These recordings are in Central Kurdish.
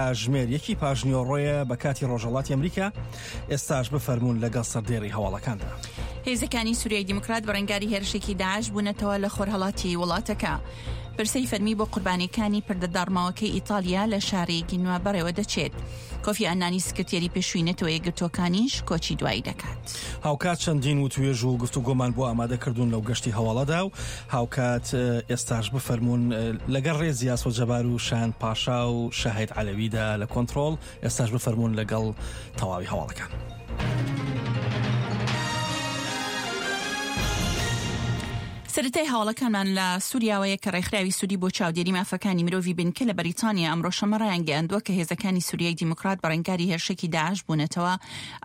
کاتژمێر یەکی پاشنیوەڕۆیە بە کاتی ڕۆژهەڵاتی ئەمریکا، ئێستاش بفەرموون لەگەڵ سەردێڕی هەواڵەکاندا. هێزەکانی سوریای دیموکرات بەرەنگاری هێرشێکی داعش بوونەتەوە لە خۆرهەڵاتی وڵاتەکە. پرسەی فەرمی بۆ قوربانیەکانی پردە داڕماوەکەی ئیتاڵیا لە شاری گینوا بەڕێوە دەچێت. کۆفی ئەنانی سکرتێری پێشووی نەتەوە یەکگرتووەکانیش کۆچی دوایی دەکات. هاوکات چەندین وتوێژ و گفتوگۆمان بۆ ئامادە کردوون لەو گەشتی هەواڵەدا و هاوکات ئێستاش بفەرموون لەگەڵ ڕێزی ئاسۆ جەبار و شایان پاشا و شاهید عەلەویدا لە کۆنتڕۆڵ ئێستاش بفەرموون لەگەڵ تەواوی هەواڵەکان. سەرەتای هەواڵەکانمان لە سوریاوەیە کە ڕێکخراوی سوری بۆ چاودێری مافەکانی مرۆڤی بنکە لە بەریتانیا ئەمڕۆ شەممە ڕایانگەیاندووە کە هێزەکانی سوریای دیموکرات بەڕەنگاری هێرشێکی داعش بوونەتەوە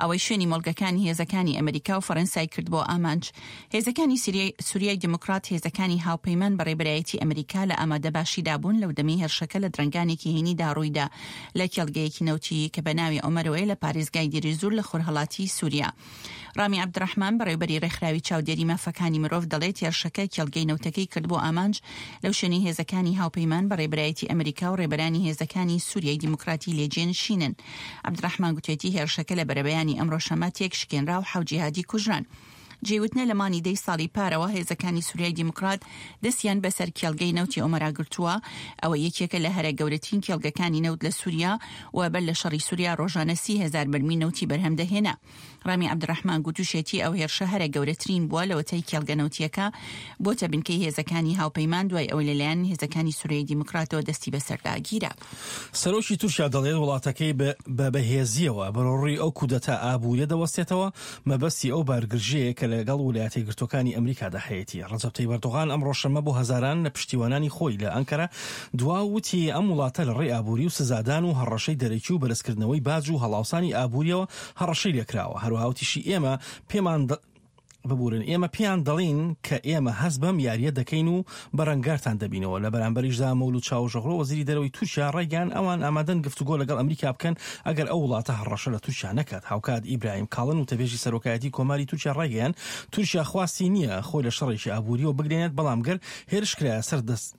ئەوەی شوێنی مۆڵگەکانی هێزەکانی ئەمریکا و فەرەنسای کرد بۆ ئامانج. هێزەکانی سوریای دیموکرات هێزەکانی هاوپەیمان بە ڕێبەرایەتی ئەمریکا لە ئامادەباشیدا بوون لەو دەمەی هێرشەکە لە درەنگانێکی هەینیدا ڕوویدا لە کێڵگەیەکی نەوتی کە بە ناوی عومەرەوەیە لە پارێزگای دیریزور لە خۆرهەڵاتی سوریا. ڕامی عەبدولڕەحمان، بەڕێوەبەری ڕێکخراوی چاودێری مافەکانی مرۆڤ دەڵێت، هێرشەکە کێڵگەی نەوتەکەی کرد بۆ ئامانج لەو شوێنەی هێزەکانی هاوپەیمان بە ڕێبەرایەتی ئەمریکا و ڕێبەرانی هێزەکانی سوریای دیموکراتی لێ جێنشینن. عەبدولڕەحمان گوتێتی، هێرشەکە لە بەرەبەیانی ئەمڕۆ شەممە تێکشکێنرا و حەوت جیهادی کوژران. جێی وتنە لە مانگی دەی ساڵی پارەوە هێزەکانی سوریای دیموکرات دەستیان بەسەر کێڵگەی نەوتی ئۆمەرا گرتووە، ئەوە یەکێکە لە هەرە گەورەترین کێڵگەکانی نەوت لە سوریا و بەر لە شەڕی سوریا ڕۆژانە 30 هەزار بەرمیل نەوتی بەرهەم دەهێنا. ڕامی عەبدولڕەحمان گوتوشێتی ئەو هێرشە هەرە گەورەترین بووە لەوەتای کێڵگە نەوتییەکە بۆتە بنکەی هێزەکانی هاوپەیمان دوای ئەوەی لەلایەن هێزەکانی سوریای دیموکراتەوە دەستی بەسەردا گیرا. سەرۆکی تورکیا دەڵێت وڵاتەکەی بە بەهێزییەوە بەرەوڕووی ئەو کودەتا ئابووریە دەوەستێتەوە، مەبەستی ئەو بارگرژییەیە کە لەگەڵ ولایەتە یەکگرتووەکانی ئەمریکادا هەیەتی. ڕەجەب تەیب ئەردۆغان ئەمڕۆ شەممە بۆ هەزاران لە پشتیوانانی خۆی لە ئەنکەرە دوا و وتی ئەم وڵاتە لە ڕێی ئابووری و سزادان و هەڕەشەی دەرەکی و بەرزکردنەوەی باج و هەڵاوسانی ئابوورییەوە هەڕەشەی لێکراوە. هەروەها وتیشی ئێمە پێمان ببورن ئێمە پێیان دەڵێین کە ئێمە هەست بەم یارییە دەکەین و بەرەنگارتان دەبینەوە. لە بەرامبەریشدا مەولود چاوشئۆغلۆ وەزیری دەرەوەی تورکیا ڕایگەیاند ئەوان ئامادەن گفتوگۆ لەگەڵ ئەمریکا بکەن ئەگەر ئەو وڵاتە هەڕەشە لە تورکیا نەکات. هاوکات ئیبراهیم کاڵن وتەبێژی سەرۆکایەتی کۆماری تورکیا ڕایگەیاند تورکیا خواستی نییە خۆی لە شەڕێکی ئابوورییەوە بگرێنێت بەڵام گەر هێرش کرایە سەر دەست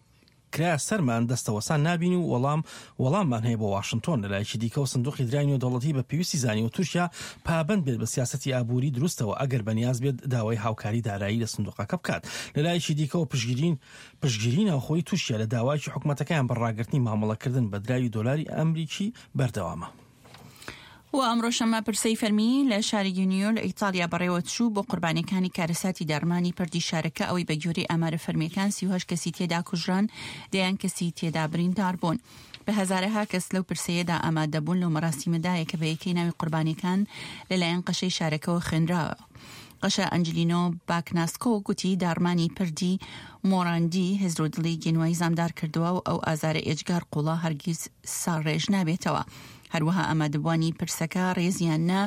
کرایە سەرمان دەستەوەسان نابین و وەڵام وەڵاممان هەیە بۆ واشنتۆن. لەلایەکی دیکەوە سندوقی دراوی نێودەوڵەتی بە پێویستی زانیوە تورکیا پابەند بێت بە سیاسەتی ئابووری دروستەوە ئەگەر بەنیاز بێت داوای هاوکاری دارایی لە سندوقەکە بکات. لەلایەکی دیکەوە پشتگیری پشتگیری ناوخۆیی تورکیا لە داوایەکی حکومەتەکەیان بە ڕاگرتنی مامەڵەکردن بە دراوی دۆلاری ئەمریکی بەردەوامە. و ئەمڕۆ شەممە پرسەی فەرمی لە شاری گینیۆ لە ئیتاڵیا بەڕێوەچوو بۆ قوربانیەکانی کارەساتی داڕمانی پردی شارەکە ئەوەی بە گوێرەی ئامارە فەرمیەکان 38 کەسی تێدا کوژران دەیان کەسی تێدا بریندار بوون. بە هەزارەها کەس لەو پرسەیەدا ئامادەبوون لەو مەراسیمەدایە کە بە یەکەی ناوی قوربانیەکان لەلایەن قەشەی شارەکەوە خوێنراوە. قەشە ئەنجلینۆ باکناسکۆ گوتی داڕمانی پردی مۆراندی هزر و دڵی گینوای زامدار کردووە و ئەو ئازارە ئێجگار قوڵە هەرگیز ساڕێژ نابێتەوە. هەروەها ئامادەبووانی پرسەکە ڕێزیان نا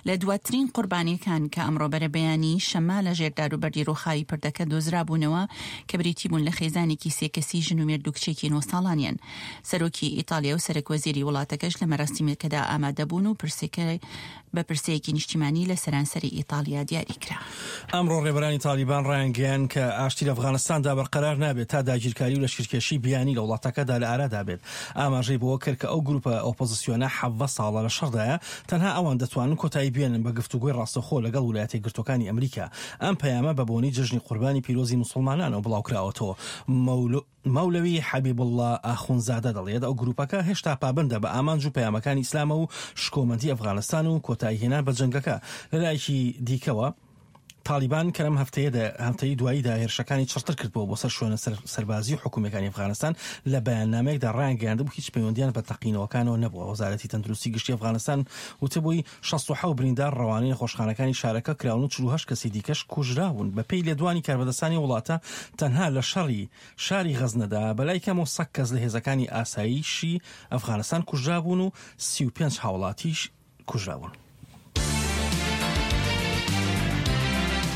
لە دواترین قوربانیەکان کە ئەمڕۆ بەرەبەیانی شەممە لە ژێر داروبەردی ڕووخاوی پردەکە دۆزرابوونەوە کە بریتی بوون لە خێزانێکی سێ کەسی ژن و مێرد و کچێکی نۆ ساڵانیان. سەرۆکی ئیتاڵیا و سەرەک وەزیری وڵاتەکەش لە مەراسیمەکەدا ئامادەبوون و پرسەکە بە پرسەیەکی نیشتیمانی لە سەرانسەری ئیتاڵیا دیاری کرا. ئەمڕۆ ڕێبەرانی تاڵیبان ڕایانگەیاند کە ئاشتی لە ئەفغانستاندا بەرقەرار نابێت تا داگیرکاری و لەشکرکێشی بیانی لە وڵاتەکەدا لە ئارادا بێت. ئاماژەی بەوە کرد کە ئەو گروپە ئۆپۆزسیۆنە 17 ساڵە لە شەڕدایە، تەنها ئەوان دەتوانن کۆتایی بێنن بە گفتوگۆی ڕاستەوخۆ لەگەڵ ولایەتە یەکگرتووەکانی ئەمریکا. ئەم پەیامە بە بۆنەی جەژنی قوربانی پیرۆزی موسڵمانانەوە بڵاوکراوەتەوە. مەولەوی حەبیبوڵڵا ئاخوندزادە دەڵێت، ئەو گروپەکە هێشتا پابەندە بە ئامانج و پەیامەکانی ئیسلامەوە و شکۆمەندی ئەفغانستان و کۆتاییهێنان بە جەنگەکە. لەلایەکی دیکەوە، تاڵیبان کە لەم هەفتەیەدا هەفتەی دواییدا هێرشەکانی چڕتر کردبووە بۆ سەر شوێنە سەربازی و حکومییەکانی ئەفغانستان، لە بەیاننامەیەکدا ڕایانگەیاندبوو هیچ پەیوەندییان بە تەقینەوەکانەوە نەبووە. وەزارەتی تەندروستی گشتی ئەفغانستان وتبووی، 67 بریندار ڕەوانەی نەخۆشخانەکانی شارەکە کراون و 48 کەسی دیکەش کوژراون. بەپێی لێدوانی کاربەدەستانی وڵاتە، تەنها لە شەڕی شاری غەزنەدا بەلای کەمەوە سەد کەس لە هێزەکانی ئاسایشی ئەفغانستان کوژرابوون و 35 هاوڵاتیش کوژراون.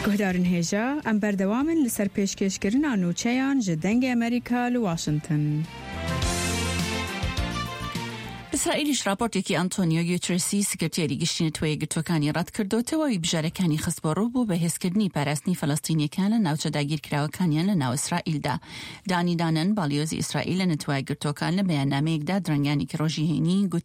Guhdarên hêja, em berdewam in li ser pêşkêşkirina nûçeyan ji Dengê Amerîka li Washington. ئیسرائیلیش ڕاپۆرتێکی ئەنتۆنیۆ گوترێسی سکرتێری گشتی نەتەوە یەکگرتووەکانی ڕەتکردۆتەوە و بژارەکانی خستبووە ڕوو بۆ بەهێزکردنی پاراستنی فەلەستینیەکان لە ناوچە داگیرکراوەکانیان لە ناو ئیسرائیلدا. دانی دانن، باڵیۆزی ئیسرائیل لە نەتەوە یەکگرتووەکان لە بەیاننامەیەکدا درەنگانێکی ڕۆژی هەینی گوتی،